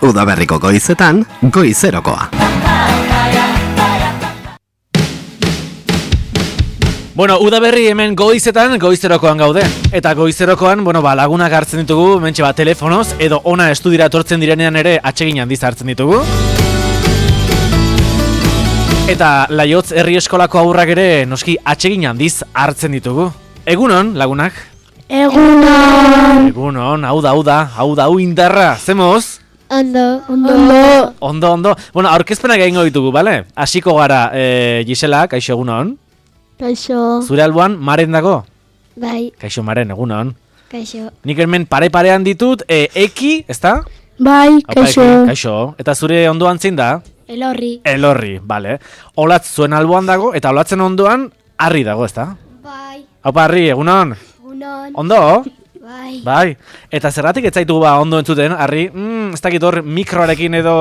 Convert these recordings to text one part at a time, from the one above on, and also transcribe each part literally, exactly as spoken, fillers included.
Udaberriko goizetan, goizerokoa. Bueno, udaberri hemen goizetan, goizerokoan gaude. Eta goizerokoan, bueno, ba, lagunak hartzen ditugu, mentxe ba, telefonoz, edo ona estudira etortzen direnean ere atsegin handiz hartzen ditugu. Eta Laiotz herri eskolako haurrak ere noski atsegin handiz hartzen ditugu. Egunon, lagunak? Egunon! Egunon, hau da, hau da, hau da, hau indarra, zemoz? Ondo, ondo. Ondo, ondo. Bueno, aurkezpenak egingo ditugu, bale? Hasiko gara, e, Gisela, kaixo egunon. Kaixo. Zure alboan, Maren dago? Bai. Kaixo Maren, egunon. Kaixo. Nik hemen pare-parean ditut, e, Eki, ezta? Bai, kaixo. Kaixo. Eta zure ondoan zein da? Elorri. Elorri, bale. Olatz zuen alboan dago, eta olatzen ondoan, Arri dago, ezta? Bai. Haupa, Arri, egunon. Egunon. Ondo? Bai. Bai. Eta zerratik ez zaitu ba ondo entzuten, Arri? Mm, ez dakit hor mikroarekin edo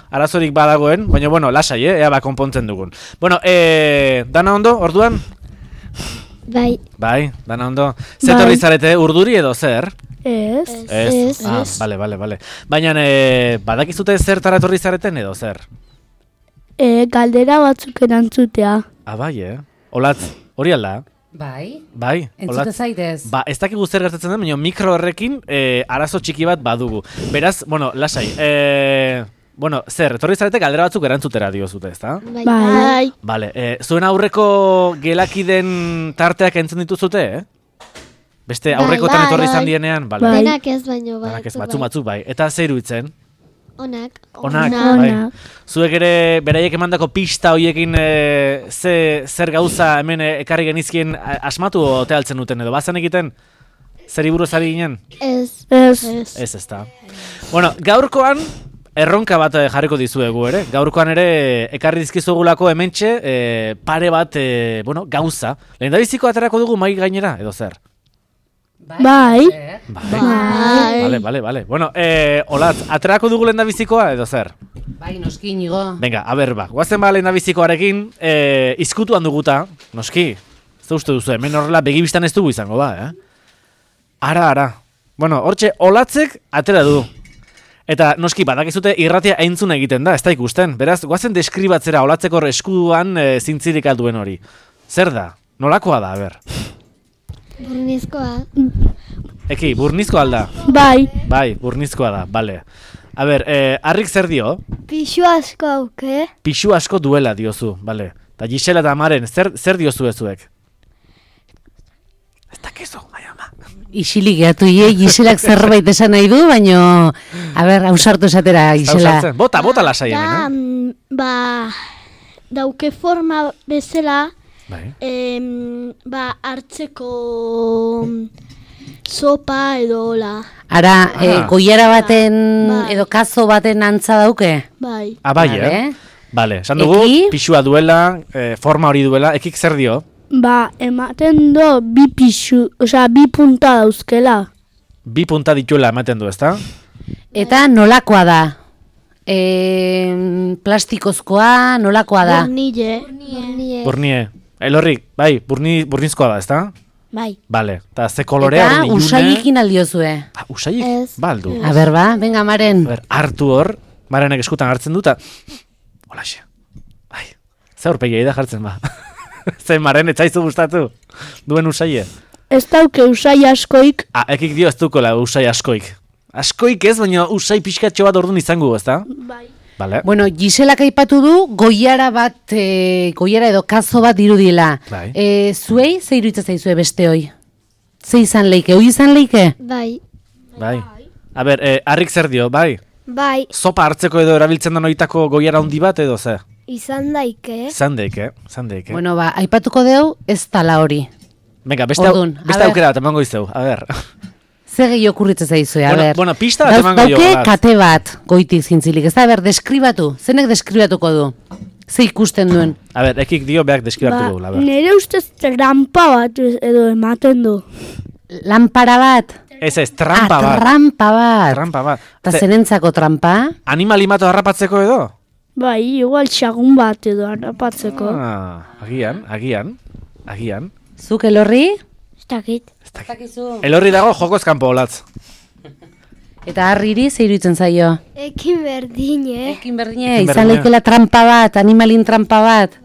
arazorik badagoen, baina bueno, lasai, eh? Ea ba konpontzen dugun. Bueno, eh, dana ondo, orduan? Bai. Bai, dana ondo. Zetorri zarete, urduri edo zer? Ez. Ez. Ez. Ah, bale, bale, bale. Baina, eh, badakizute zertara etorri zareten edo zer? E, galdera batzuk erantzutea. Ah, bai, eh? Olatz, hori alda? Bai, Bai, entzute zaitez. Ba, ez dakigu zer gertatzen den, baina mikro horrekin e, arazo txiki bat badugu. Beraz, bueno, lasai, e, bueno, zer, etorri zarete galdera batzuk erantzutera diozute, ezta? Bai. Bai. Bale, e, zuen aurreko gelakiden tarteak entzun dituzute, eh? Beste Bai, aurrekotan bai, etorri izan bai. dienean, bale. Bai. Denak ez baino, bai. Denak ez, batzu batzuk bai. Eta zer iruditzen? Onak. Onak, bai. Zuek ere beraiek emandako pista hoiekin e, ze, zer gauza hemen e, ekarri genizkien a- asmatu ote altzen duten edo bazen egiten? Zer buruz ari ginen? Ez. Ez. Ez. Ez, ez da. Bueno, gaurkoan erronka bat eh, jarriko dizuegu ere. Gaurkoan ere ekarri dizkizugulako hementxe e, pare bat e, bueno, gauza. Lehendabiziko aterako dugu mai gainera edo zer? Bai. Bai. Bai. Vale, vale, vale. Bueno, eh, Olatz, aterako dugu lehendabizikoa edo zer? Bai, noski Inigo. Venga, a ber, ba, guazen ba lehendabizikoarekin, eh, izkutuan duguta, noski, ez da uste duzu, hemen horrela begibistan ez dugu izango ba, eh? Ara, ara. Bueno, hortxe, Olatzek atera du. Eta noski, badakizute irratia entzuna egiten da, ez da ikusten. Beraz, guazen deskribatzera Olatzeko eskuduan e, zintzirik alduen hori. Zer da? Nolakoa da, a ber? Burnizkoa. Eki, burnizkoa alda? Bai. Bai, burnizkoa da, bale. A ber, eh, Arrik zer dio? Pixu asko auke. Pixu asko duela diozu, bale. Eta Gisela eta Maren, zer, zer diozu ezuek? Ez dakizu, bai ama. Isilik gehiatu ie, Giselak zerbait esan nahi du, baino, a ber, hausartu esatera, Gisela. Ausartzen. Bota, bota lasai hemen, eh? mm, ba, dauke forma bezala, Bai. em, ba, hartzeko sopa edo hola. Ara, Ah. eh, goiara baten, Bai. edo kazo baten antza dauke? Bai. Ah, bai, Vale. eh? Bale, esan dugu, Eki? pixua duela, eh, forma hori duela, ekik zer dio? Ba, ematen do bi pixu, osea, bi punta dauzkela. Bi punta dituela ematen du, ezta? Eta nolakoa da? E, plastikozkoa, nolakoa da? Burnille. Burnille. Burnie. Elorrik, bai, burni, burnizkoa da, ezta? Bai. Bale, eta ze kolorea Eta hori ilune? usaikin aldiozue. Ah, usaiik? Ez. Baldu. A ber, ba, venga, Maren. A ber, hartu hor, Marenek eskutan hartzen du, eta... Holaxe. Bai, ze aurpegiai da jartzen ba. Ze Maren, etzaizu gustatu duen usaie. Ez dauke usai askoik. Ah, ekik dio ez dukola usai askoik. Askoik ez, baina usai pixkatxo bat orduan izango, ezta? Bai. Bale. Bueno, Giselak aipatu du goiara bat, e, goiara edo kazo bat dirudiela. Bai. E, zuei, ze iruditzen zaizue beste hoi? Ze izan leike, hoi izan leike? Bai. Bai. A ber, eh, Arrik zer dio, bai? Bai. Sopa hartzeko edo erabiltzen da noitako goiara handi bat edo ze? Izan daike. Zandeike, zandeike. Bueno, ba, aipatuko deu, ez tala hori. Venga, beste, au- Ordun, a beste ber. aukera bat emango izteu, a ber. Ze gehi okurritzen zaizue, a Bueno, ber. bueno, pista bat Dauz- emango dio, Dauke Olatz. kate bat, goitik zintzilik. Ez da, a ber, deskribatu. Zenek deskribatuko du? Ze ikusten duen? A ber, ekik dio beak deskribatu dugu, a ber. nire ustez trampa bat edo ematen du. Lampara bat? Ez ez, trampa ah, bat. trampa bat. Trampa bat. Eta Ze, zerentzako trampa? animali mato harrapatzeko edo? Bai, igual xagun bat edo harrapatzeko. Ah, agian, agian, agian. Zuk Elorri? Ez dakit. Zakizu. Elorri dago jokoz kanpo Olatz. Eta harriri ze iruditzen zaio? Ekin berdine. Ekin berdine, Ekin izan berdine. leikela trampa bat, animalin trampa bat.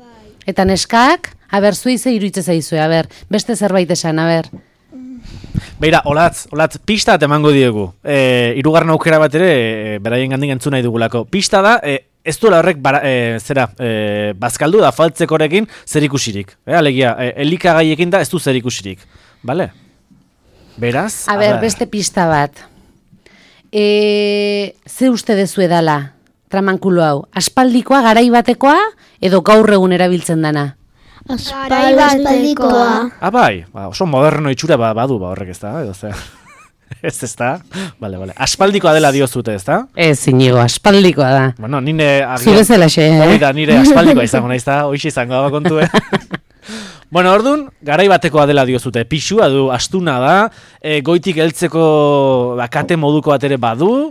Eta neskak, aber, zuei ze iruditzen zaizue, aber, beste zerbait esan, aber. Beira, olatz, olatz, pista bat emango diegu. E, irugarren aukera bat ere, e, beraien gandik entzun nahi dugulako. Pista da, e, ez duela horrek, bara, e, zera, e, bazkaldu da faltzekorekin zer ikusirik. E, alegia, e, elikagaiekin da ez du zer ikusirik. Bale? Beraz? A ber, beste pista bat. E, ze uste dezu edala, tramankulo hau? Aspaldikoa, garai batekoa, edo gaur egun erabiltzen dana? Aspaldikoa. Ah, bai, ba, oso moderno itxura ba, badu ba horrek ez da, edo ze. Ez ez da? Bale, bale. Aspaldikoa dela diozute, ez da? Ez, inigo, aspaldikoa da. Bueno, nire... Zu bezalaxe, eh? Hori da, nire aspaldikoa izango naiz da, hoxe izango da kontu, eh? Bueno, ordun, garai batekoa dela diozute. Pixua du, astuna da, e, goitik heltzeko bakate moduko bat ere badu,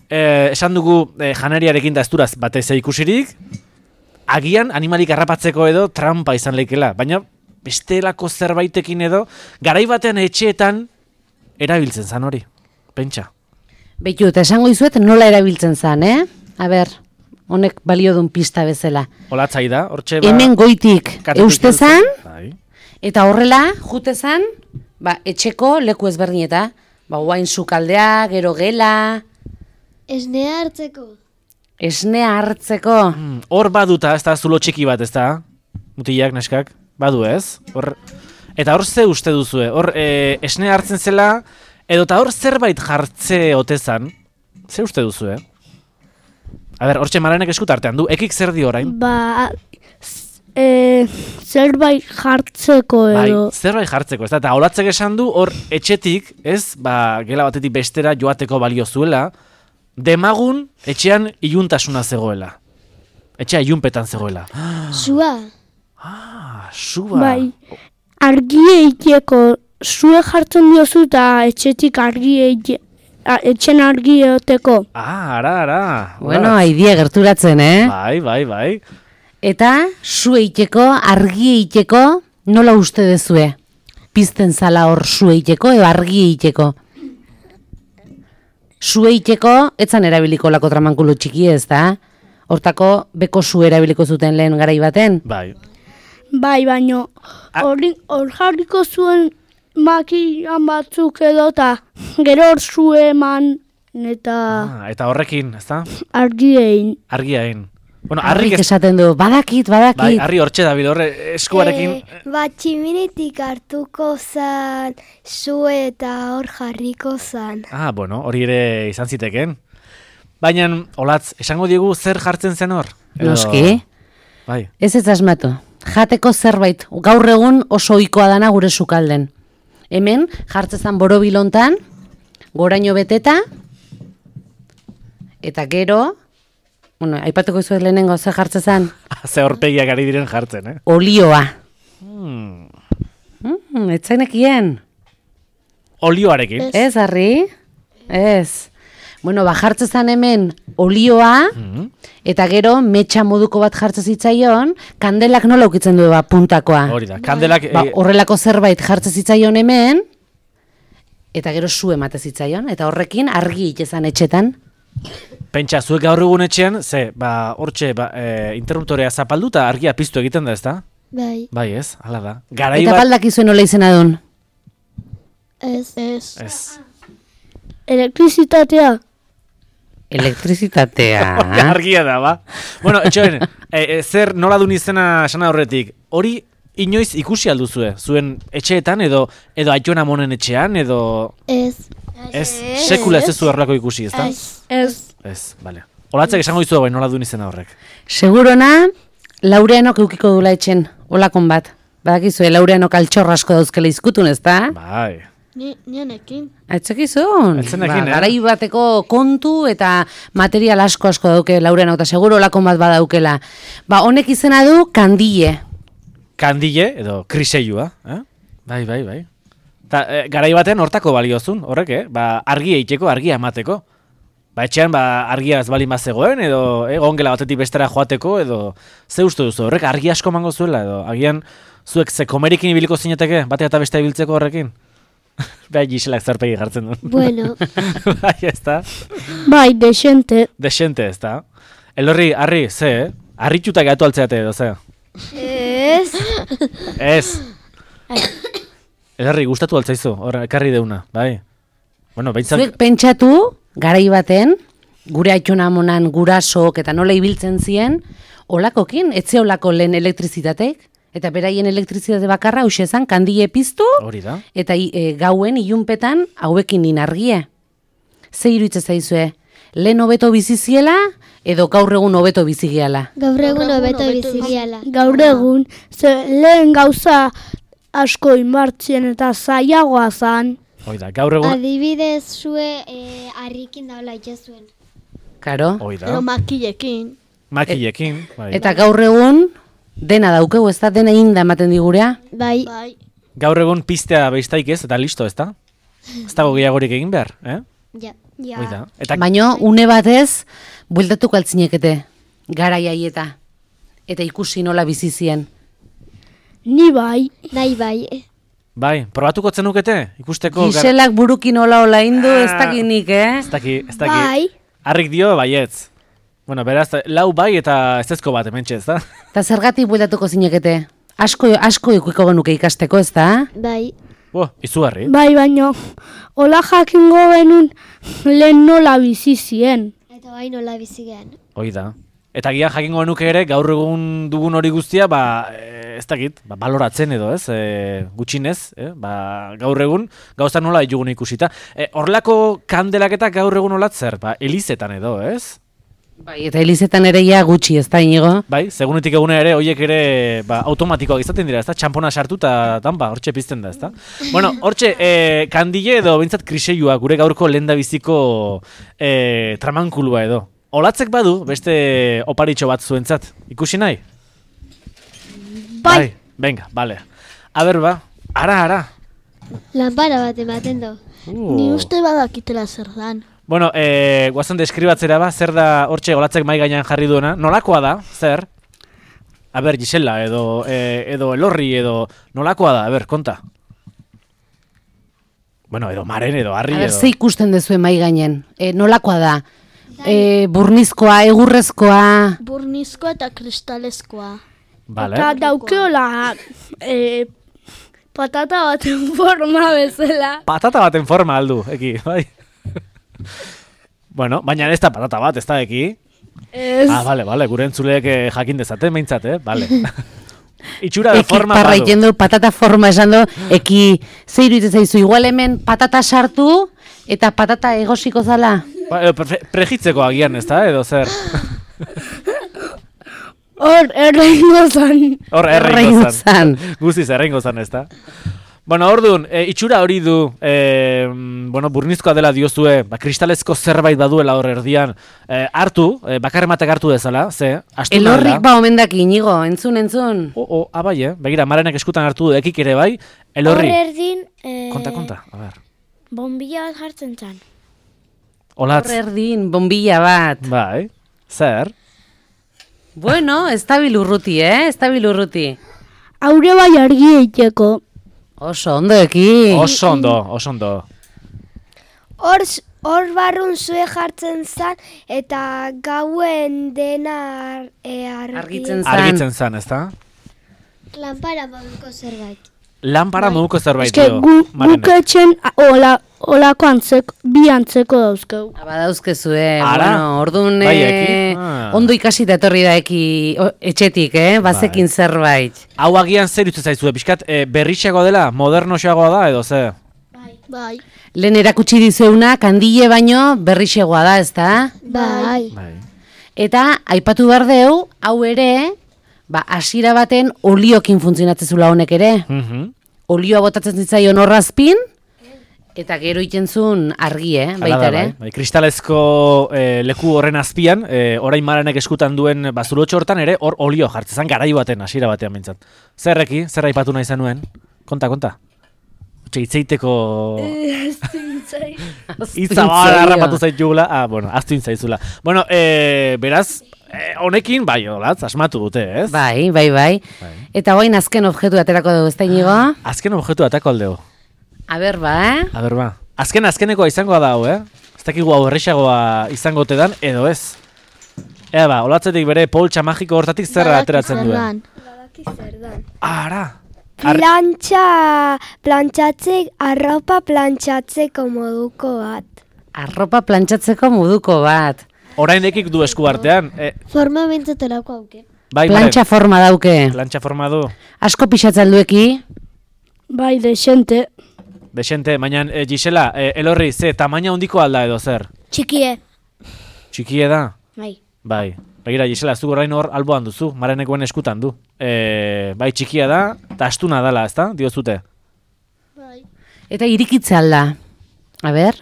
e, esan dugu e, janariarekin da ez duraz batez ikusirik, agian animalik harrapatzeko edo trampa izan leikela, baina bestelako zerbaitekin edo, garai batean etxeetan erabiltzen zan hori, pentsa. Beitu, eta esango izuet nola erabiltzen zan, eh? A ber, honek balio dun pista bezala. Olatzai da, hortxe ba... Hemen goitik katetik euste zan, heltzen. Bai. eta horrela, jute zan, ba, etxeko leku ezberdineta. Ba, guain sukaldea, gero gela, Esnea hartzeko. esnea hartzeko. Mm, Hor baduta, ez da, zulo txiki bat, ez da? Mutilak, neskak, badu ez? Hor... Eta hor ze uste duzue? Hor e, esnea hartzen zela, edo eta hor zerbait jartze otezan, ze uste duzue? A ber, hortxe Maranek eskut artean du, ekik zer di orain? Ba, z- e, zerbait jartzeko Bai, edo. zerbait jartzeko, ez da? Eta olatzek esan du, hor etxetik, ez? Ba, gela batetik bestera joateko balio zuela, demagun etxean iluntasuna zegoela. Etxea ilunpetan zegoela. Zua. Ah, suba. Bai. Argie iteko, zue jartzen diozu eta etxetik argie ite- a- etxen argi eoteko. Ah, ara, ara. Bueno, Olatz. aidia gerturatzen, eh? Bai, bai, bai. Eta, zu eiteko, argi eiteko, nola uste dezue? Pizten zala hor zu eiteko, edo argi eiteko? Zu eiteko, etzan erabiliko lako tramankulu txiki ez da? Hortako, beko zu erabiliko zuten lehen garai baten? Bai. Bai, baino, Ah. hori hor jarriko zuen makian batzuk edo eta gero hor zu eman eta Ah, eta horrekin, ez da? argiein. Argiain. Bueno, Harrik harrik ez... esaten du, badakit, Bai, badakit. harri hortxe dabil, horre eskuarekin... E, ba, tximinitik hartuko zan, zu eta hor jarriko zan. Ah, bueno, hori ere izan ziteken. Baina, olatz, esango diegu zer jartzen zen hor? Edo- Noski, Bai. ez ez asmatu. Jateko zerbait, gaur egun oso ohikoa dana gure sukalden. Hemen, jartzezan borobilontan, goraino beteta, eta gero, bueno, aipatuko izuet lehenengo ze jartzezan, Ze horpegiak ari diren jartzen, eh? olioa. Hmm. Mm, etzenekien. Olioarekin. Ez, Harri? Ez. Bueno, ba, jartzezan hemen olioa, Mhm. eta gero metxa moduko bat jartze zitzaion, kandelak nola ukitzen du ba, puntakoa. Hori da, kandelak... Ba, eh, horrelako zerbait jartze zitzaion hemen, eta gero zu emate zitzaion, eta horrekin argi itezan etxetan. Pentsa, zuek gaur egun etxean, ze, ba, hortxe, ba, e, interruptorea zapaldu eta argia piztu egiten da, ez da? Bai, Bai, ez, hala da. Garai Eta bat... baldakizuen nola izena duen. ez. Ez. Ez. Elektrizitatea. Elektrizitatea. Argia da, ba. Bueno, etxoen, e, e, zer nola dun izena esana horretik, hori inoiz ikusi alduzue, zuen etxeetan edo edo Aiton Amonen etxean edo Ez. ez, sekula ez ez zu horrelako ikusi, ez da? Ez. Ez, bale. Olatzek esango dizu bai nola dun izena horrek. Segurona, Laureanok eukiko dula etxen, olakon bat. Badakizue, Laureanok altxorra asko dauzkela izkutun, ez da? Bai. Ni, nienekin. Aitzekizun, Aitzenekin, eh? garai bateko kontu eta material asko asko dauke Laureanok, eta seguro olakon bat badaukela. Ba, honek izena du kandile. Kandile edo kriseilua, eh? Bai, bai, bai. Ta, e, garai batean hortako baliozun, horrek, eh? Ba, argia eiteko, argia emateko. Ba, etxean, ba, argia ez bali mazegoen, edo eh, gongela batetik bestera joateko, edo ze uste duzu, horrek argi asko mango zuela, edo agian zuek ze komerikin ibiliko zineteke, batea eta bestea ibiltzeko horrekin? Bai, Giselak zarpegi jartzen du. Bueno, Bai, ez da. Bai, desente. Desente, ez da. Elorri, harri, ze, eh? Harritxutak gatu altzeate edo, ze? ez. Ez. Elorri, gustatu altzaizu, hor, ekarri deuna, bai. Bueno, behintzak... Zuek pentsatu, garai baten, gure aitona monan gurasok eta nola ibiltzen zien, olakokin, etze olako lehen elektrizitatek, eta beraien elektrizitate bakarra hauxe ezan, kandile piztu, Hori da. eta i- e, gauen ilunpetan hauekin din argie. Ze iruditzen zaizue? Lehen hobeto biziziela, edo gaur egun hobeto bizigiala? Gaur egun hobeto bizigiala. Gaur egun, ze lehen gauza asko inbartzen eta zailagoa zan. Hoi da, gaur egun... Adibidez zue eh, harrikin daula itxezuen. Karo? Hoi da. makilekin. Makillekin, bai. Eta gaur egun, dena daukegu, ez da dena inda ematen digurea? Bai. Bai. Gaur egun piztea beiztaik ez, eta listo, ez da? Ez dago gehiagorik egin behar, eh? Ja. Ja. Hoi da. Eta Baina, une batez, bueltatuko altzinekete, garai haieta, eta ikusi nola bizi zien. Ni bai. Nahi bai. bai, probatuko zenukete? Ikusteko... gar- Giselak burukin ola ola indu, ez Ah. dakinik, eh? Ez daki, ez daki. Bai. Harrik dio, baietz. Bueno, beraz, lau bai eta ez ezko bat hementxe, ez da? Eta zergatik bueltatuko zinekete? Asko, asko ikuiko genuke ikasteko, ez da? Bai. Bo, izugarri. Bai, baino, hola jakingo benun lehen nola bizi zien. Eta bai nola bizigean. Hoi da. Eta gian jakingo genuke ere, gaur egun dugun hori guztia, ba, eh, ez dakit, ba, baloratzen edo, ez? E, gutxinez, eh? Ba, gaur egun, gauza nola ditugun ikusita. E, horlako kandelaketak gaur egun olatzer, ba, elizetan edo, ez? Bai, eta elizetan ere ja gutxi, ez da, inigo? Bai, segunetik egune ere, hoiek ere ba, automatikoak izaten dira, ezta? Txampona sartu eta tanpa, hortxe pizten da, ezta? Bueno, hortxe, eh, kandile edo bintzat kriseiua, gure gaurko lehendabiziko eh, tramankulua edo. Olatzek badu, beste oparitxo bat zuentzat. Ikusi nahi? Bai. Venga, bale. A ber, ba, ara, ara. Lanpara bat ematen du. Ni uste badakitela zer dan. Bueno, eh, guazen deskribatzera ba, zer da hortxe olatzek mai gainean jarri duena. Nolakoa da, zer? A ber, Gisela, edo, eh, edo Elorri, edo nolakoa da, a ber, konta. Bueno, edo Maren, edo Harri, A ber, edo... ze ikusten dezue mai gainen? E, nolakoa da? E, burnizkoa, egurrezkoa... Burnizkoa eta kristalezkoa. Vale. Eta daukeola e, patata baten forma bezala. Patata baten forma aldu, eki, bai. Bueno, baina ez da patata bat, ez da eki. Ez. Ah, vale, vale, gure entzuleek eh, jakin dezaten, behintzat, eh? Vale. Itxura de Eki forma parra badu. egiten du, patata forma esan du, eki ze iruditzen zaizu, igual hemen patata sartu eta patata egosiko zala. Ba, edo pre prejitzeko agian, ez da, edo zer. Hor, erreingo zan. Hor erreingo Erreingo zan. zan. Guztiz erreingo zan, ez da. Bueno, orduan, e, itxura hori du, e, bueno, burnizkoa dela diozue, ba, kristalezko zerbait baduela hor erdian, e, hartu, e, bakarrematek hartu dezala, ze, astuna Elorrik dela. ba omendak inigo, entzun, entzun. O, o, abai, eh? Begira, Marenek eskutan hartu du, ekik ere bai, Elorri. Hor erdin, e, Konta, konta, a ber. bombilla bat jartzen zan. Olatz, Hor erdin, bombilla bat. bai, zer? Bueno, ez da bilurruti, eh? Ez da bilurruti. Haure bai argi eiteko. Oso, ondo eki. Oso ondo, oso ondo. Hor, hor barrun zue jartzen zan, eta gauen dena e, argi... Argitzen zan. Argitzen zan, ez da? Lanpara moduko zerbait. Lanpara moduko zerbait Eske dio, gu, Marenek. guk etxen a- ola, olako antzeko, bi antzeko dauzkeu. Badauzkezue, Ara? bueno, orduan Bai, eh, eki? Ah. ondo ikasita etorri da eki o, etxetik, eh? Bazekin Bai. zerbait. Hau agian zer irutzen zaizue, pixkat, e, berritxeagoa dela, modernoxeagoa da, edo ze? Bai. Lehen erakutsi dizeuna, kandile baino berrixegoa da, ez da? Bai. Bai. Eta, aipatu behar deu, hau ere, ba, hasiera baten oliokin funtzionatzezula honek ere. Mhm. Olioa botatzen zitzaion horrazpin, eta gero ikentzun argi, eh? Hala Baita da, ere. bai. Bai, kristalezko eh, leku horren azpian, eh, orain Marenek eskutan duen bazurotxo hortan ere, hor olio jartzen, garai baten, hasiera batean behintzat. Zerreki, zer aipatu nahi zenuen? Konta, konta. Otxe, itzeiteko... Itza bala harrapatu zaitugula. Ah, bueno, aztu intzaizula. Bueno, eh, beraz, eh, honekin, bai, olatz, asmatu dute, ez? Bai, bai, bai. Bai. Eta hoain azken objektu aterako dugu, ez da inigo? Azken objektu atako aldeo. A ber, ba, eh? A ber, ba. Azken azkenekoa izangoa da hau, eh? Ez dakigu hau errexagoa izango tedan, edo ez. Ea ba, olatzetik bere poltsa magiko hortatik zerra ateratzen duen. Badaki zer dan. Ara! Ar- Plantxa, plantxatzek, arropa plantxatzeko moduko bat. Arropa plantxatzeko moduko bat. Oraindekik du esku artean. E, Forma bintzetelako hauke. bai, Plantxa forma dauke. Plantxa forma du. Asko pixatzen dueki. Bai, desente. Desente, baina e, Gisela, e, Elorri, ze, tamaina handiko alda edo zer? Txikie. Txikie da? Bai. Bai. Begira, Gisela, zu orain hor alboan duzu, Marenekoen eskutan du. E, bai, txikia da, eta astuna dala, ezta? Diozute. Bai. Eta irikitze alda. A ber?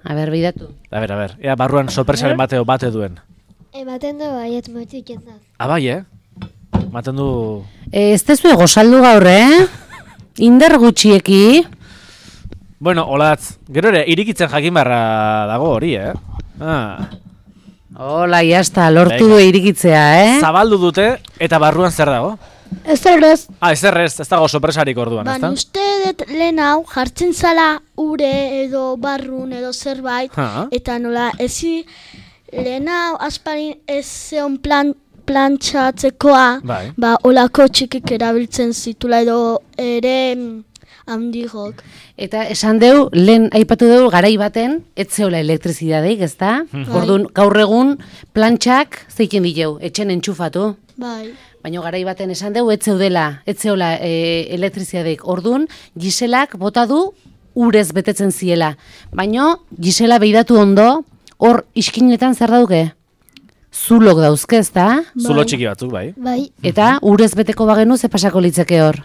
A ber, bidatu. A ber, a ber, ea barruan sorpresaren bateo bate duen. Ematen du baiet motik jendaz. Ah, bai, eh? Maten du... E, ez tezu gozaldu gaur, eh? Inder gutxieki. Bueno, olatz, gero ere, irikitzen jakin barra dago hori, eh? Ah. Hola, jazta, lortu Venga. du irikitzea, eh? Zabaldu dute, eta barruan zer dago? Ez errez, Ah, ez errez, ez dago sorpresarik orduan, Ba, ezta? uste dut lehen hau jartzen zala ure edo barrun edo zerbait, Ha? eta nola ezi lehen hau asparin ez zeon plan, plantxatzekoa, Bai. ba, olako txikik erabiltzen zitula edo ere mm, handigok. Eta esan deu, lehen aipatu deu garai baten, etzeola elektrizidadeik, ezta? Orduan, gaur egun plantxak zeiken dileu, etxen entxufatu. Bai. Baina garai baten esan deu, etzeudela, etzeola e, elektrizidadeik. Orduan, Giselak bota du urez betetzen ziela. Baina Gisela beidatu ondo, hor iskinetan zer dauke? Zulok dauzke, ezta? Zulo txiki batzuk, bai. Bai. Eta urez beteko bagenu ze pasako litzeke hor.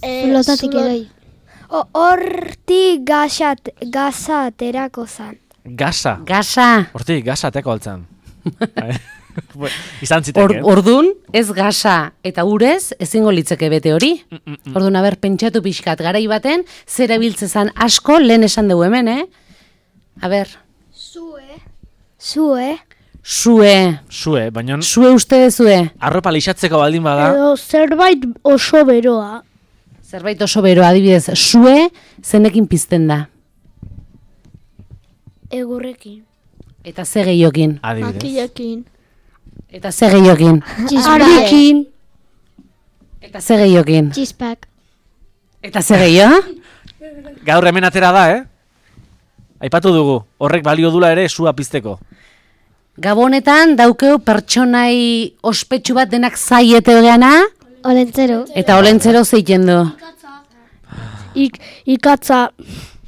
E, Zulotatik zulo- eroi. O- Hortik gasat, gaza aterako zan. Gasa. Gasa. Hortik, gasa ateko altzan. Bai. Bueno, izan Or, ziteke. ordun, ez gasa eta urez ezingo litzeke bete hori. Ordun, aber, pentsatu pixkat, garai baten, zer ebiltzezan asko lehen esan dugu hemen, eh? Aber, Zue. Zue. sue, Zue, baina sue uste dezue, arropa lixatzeko baldin bada, edo zerbait oso beroa. zerbait oso bero, adibidez, sue zenekin pizten da. Egurrekin. Eta ze gehiokin. adibidez. Makilekin. Eta ze gehiokin. Argikin. Eta ze gehiokin. Txispak. Eta ze gehio? Gaur hemen atera da, eh? Aipatu dugu, horrek balio dula ere sua pizteko. Gabonetan daukeu pertsonai ospetsu bat denak zaiete geana, Olentzero. eta olentzero zeiten du. Ik, ikatza,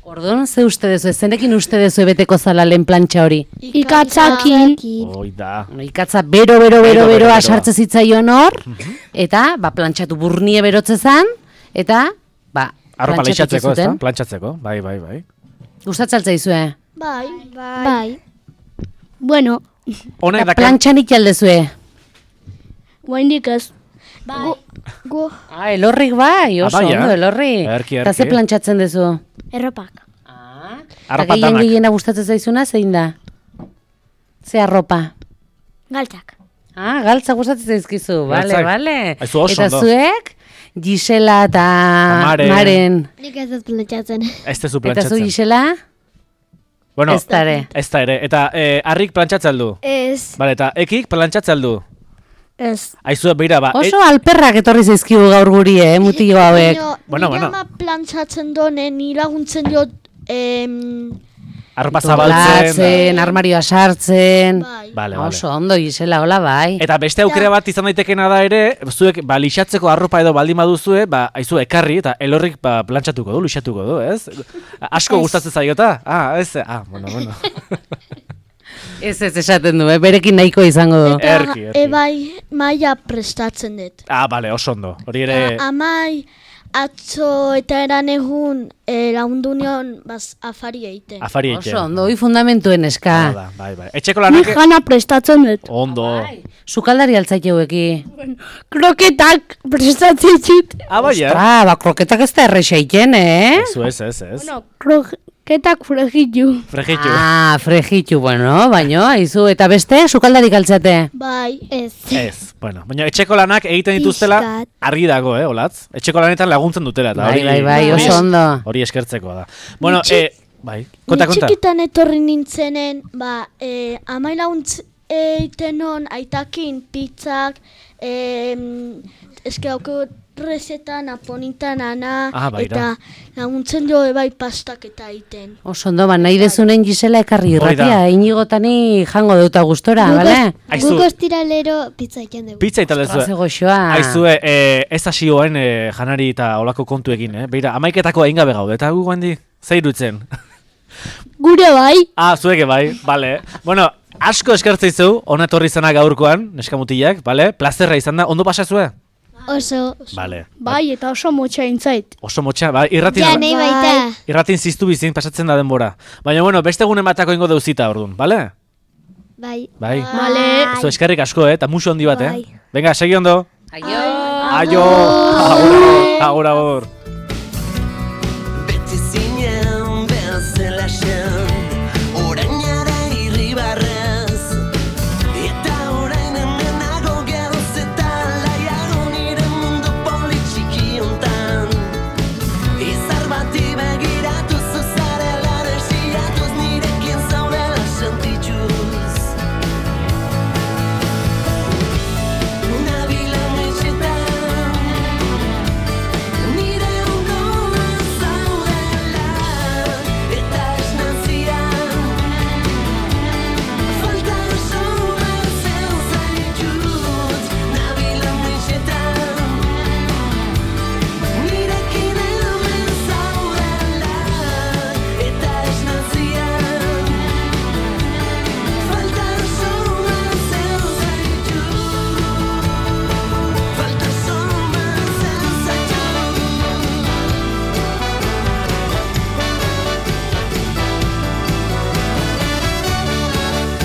Orduan, ze uste dezu, zenekin uste dezu beteko zala lehen plantxa hori? ikatzakin, Hoi da. Ikatza bero, bero, bero, Bero, bero, beroa beroa. sartze zitzaion hor, eta, ba, plantxatu burnie berotze zan, eta, ba, Arropa plantxatu lixatzeko, ezta? zuten. Plantxatzeko, bai, bai, bai. Gustatzen zaizue. Bai. Bai. bueno, Honek Eta dakar, plantxanik jaldezue. guaindik ez. Bai. Gu, Ah, elorrik bai, oso Ah, bai, ondo, eh? elorri. Erki, Eta ze erki. plantxatzen dezu? Erropak. Ah, Arropa eta gehien danak. gehiena gustatzen zaizuna, zein da? Ze arropa? Galtzak. Ah, galtza gustatzen zaizkizu, bale, Galtzak. bale. Aizu oso Eta ondo. zuek, Gisela eta Maren. Maren. Nik ez dut plantxatzen. ez tezu Eta zu plantxatzen. Gisela? Bueno, Ez da ere. ez da ere. Eta eh, harrik plantxatzen du. Ez. Bale, eta ekik plantxatzen du. Ez. Aizu, beira, ba, Oso alperrak etorri zaizkigu gaur guri, eh, mutio hauek. Baina, Bueno, nire bueno. ama plantxatzen donen, ni laguntzen diot, em, arropa zabaltzen. Doblatzen, armarioa sartzen. bai. Bale, bale. Oso ondo, Gisela, hola bai. Eta beste aukera bat izan daitekena da ere, zuek ba, lixatzeko arropa edo baldin baduzue, ba, aizu ekarri eta elorrik ba, plantxatuko du, lixatuko du, ez? Asko gustatzen zaiota? Ah, ez, ah, bueno, bueno. Ez ez esaten du, eh? Berekin nahiko izango du. Eta Erki, erki. e, bai, maia prestatzen dut. Ah, bale, oso ondo. Hori ere, A- Amai, atzo eta eran egun e, lagundu nion baz, afari egiten. afari eitea. Oso ondo, hoi fundamentuen eska. Da, bai, bai. Etxeko Nik lanak, jana prestatzen dut. ondo. Sukaldari altzaiteueki. Kroketak prestatzen zit. Ah, bai, eh? Ah, ba, kroketak ez da errexeiken, eh? Ez, ez, ez, ez. Bueno, krok, Ketak fregitu. Fregitu. Ah, fregitu, bueno, baino, aizu, eta beste, sukaldarik altzate? Bai, Ez. Ez, bueno, baina etxeko lanak egiten dituztela Pixkat. argi dago, eh, olatz? Etxeko lanetan laguntzen dutela. Eta Bai, hori, bai, bai, hori oso es- ondo. Hori eskertzeko da. Bueno, Ni txik- eh, bai, konta, Ni konta. txikitan etorri nintzenen, ba, e, amailaguntz eiten hon aitakin pizzak, e, eske hauko rezeta naponitan ana, Ah, bai, eta laguntzen jo bai pastak eta egiten. Oso ondo, ba, nahi dezunen Gisela ekarri Hori da. irratia, inigotani jango duta gustora, bale? Aizu, Guk ostiralero pizza egiten dugu. pizza italezue. Ostras, goxoa. Aizue, eh, ez hasi hoen eh, janari eta olako kontuekin, eh? Beira, amaiketako egin gabe gaude, eta gu guandi, zei dutzen. Gure bai. Ah, zueke bai, bale. Bueno, asko eskertzei zeu, ona etorri izana gaurkoan, neskamutilak, bale? Plazerra izan da, ondo pasazue? Oso. Bale. Bai, eta oso motxa intzait. Oso motxa, bai, irratin, Ja, nahi baita. irratin ziztu bizin pasatzen da denbora. Baina, bueno, beste egunen batako ingo deuzita, orduan, bale? Bai. Bai. Bale. Zu eskerrik asko, eh, eta musu handi bat, eh? Bai. Venga, segi ondo. Aio. Aio. Agur, agur, agur.